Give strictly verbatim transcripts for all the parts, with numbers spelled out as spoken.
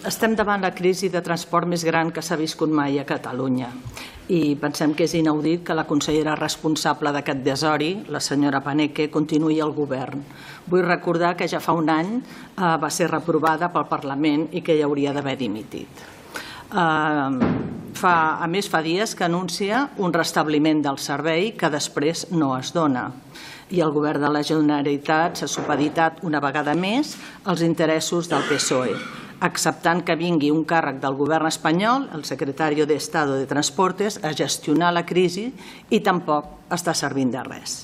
Estem davant la crisi de transport més gran que s'ha viscut mai a Catalunya i pensem que és inaudit que la consellera responsable d'aquest desori, la senyora Paneque, continuï al govern. Vull recordar que ja fa un any va ser reprovada pel Parlament i que ja hauria d'haver dimitit. A més, fa dies que anuncia un restabliment del servei que després no es dona. I el govern de la Generalitat s'ha supeditat una vegada més als interessos del P S O E, acceptant que vingui un càrrec del govern espanyol, el secretario de Estado de Transportes, a gestionar la crisi i tampoc està servint de res.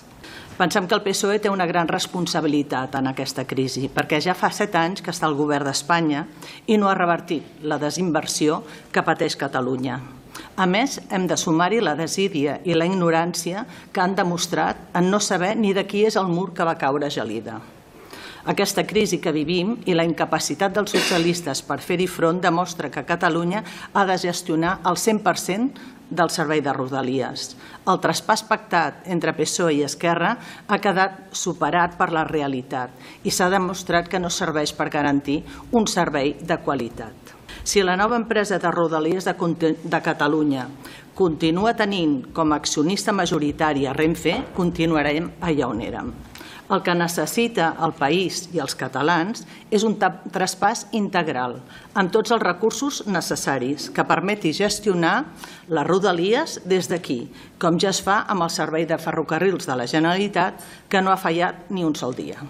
Pensem que el P S O E té una gran responsabilitat en aquesta crisi, perquè ja fa set anys que està al govern d'Espanya i no ha revertit la desinversió que pateix Catalunya. A més, hem de sumar-hi la desídia i la ignorància que han demostrat en no saber ni de qui és el mur que va caure a Gelida. Aquesta crisi que vivim i la incapacitat dels socialistes per fer-hi front demostra que Catalunya ha de gestionar el cent per cent del servei de Rodalies. El traspàs pactat entre P S O E i Esquerra ha quedat superat per la realitat i s'ha demostrat que no serveix per garantir un servei de qualitat. Si la nova empresa de Rodalies de Catalunya continua tenint com a accionista majoritari a Renfe, continuarem allà on érem. El que necessita el país i els catalans és un traspàs integral, amb tots els recursos necessaris, que permeti gestionar les Rodalies des d'aquí, com ja es fa amb el servei de ferrocarrils de la Generalitat, que no ha fallat ni un sol dia.